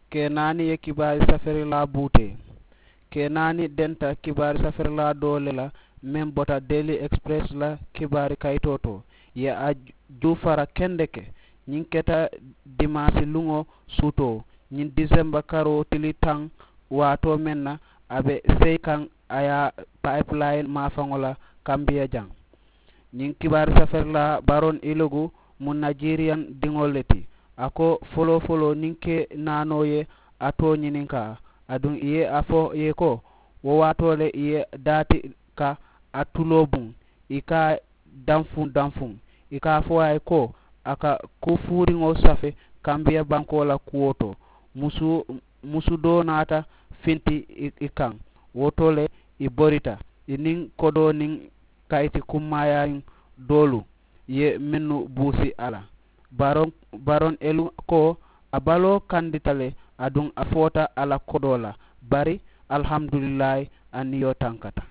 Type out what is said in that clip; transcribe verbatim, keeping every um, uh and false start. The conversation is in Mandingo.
Kee naani ye kibaari saferilaa buutee. Kee naani denta kibaari saferilaa doo le la meŋ bota deeli express la kibaari kayitoo to, ye a juufara kendeke. Ñiŋ keta dimaasi luŋo suutoo, ñiŋ disemba karoo tili taŋ waatoo meŋ na, a be seyi kaŋ a ye a payipulayin maafaŋo la kambiya jaŋ. Ñiŋ kibaari saferilaa baroŋ ilogu mu najiriyaŋ diŋo le ti. A ko foloo foloo niŋ ke naanoo ye a too ñininkaa, aduŋ ì ye a fo ì ye ko, wo waatoo le ì ye daati ka a tuloo buŋ, ì ka a danfuŋ danfuŋ, ì ka a fo a ye ko a ka kufuuriŋo safe kambiya bankoo la kuwo to. Musu musu doo naata finti ì kaŋ. Wo to le ì borita ì niŋ kodoo niŋ kayiti kummaayaayiŋ doolu ye mennu buusi a la. Baroŋ elu ko a baloo kandita le, aduŋ a foota a la kodoo la. Bari, alihamudulilaayi, a niyo tankata.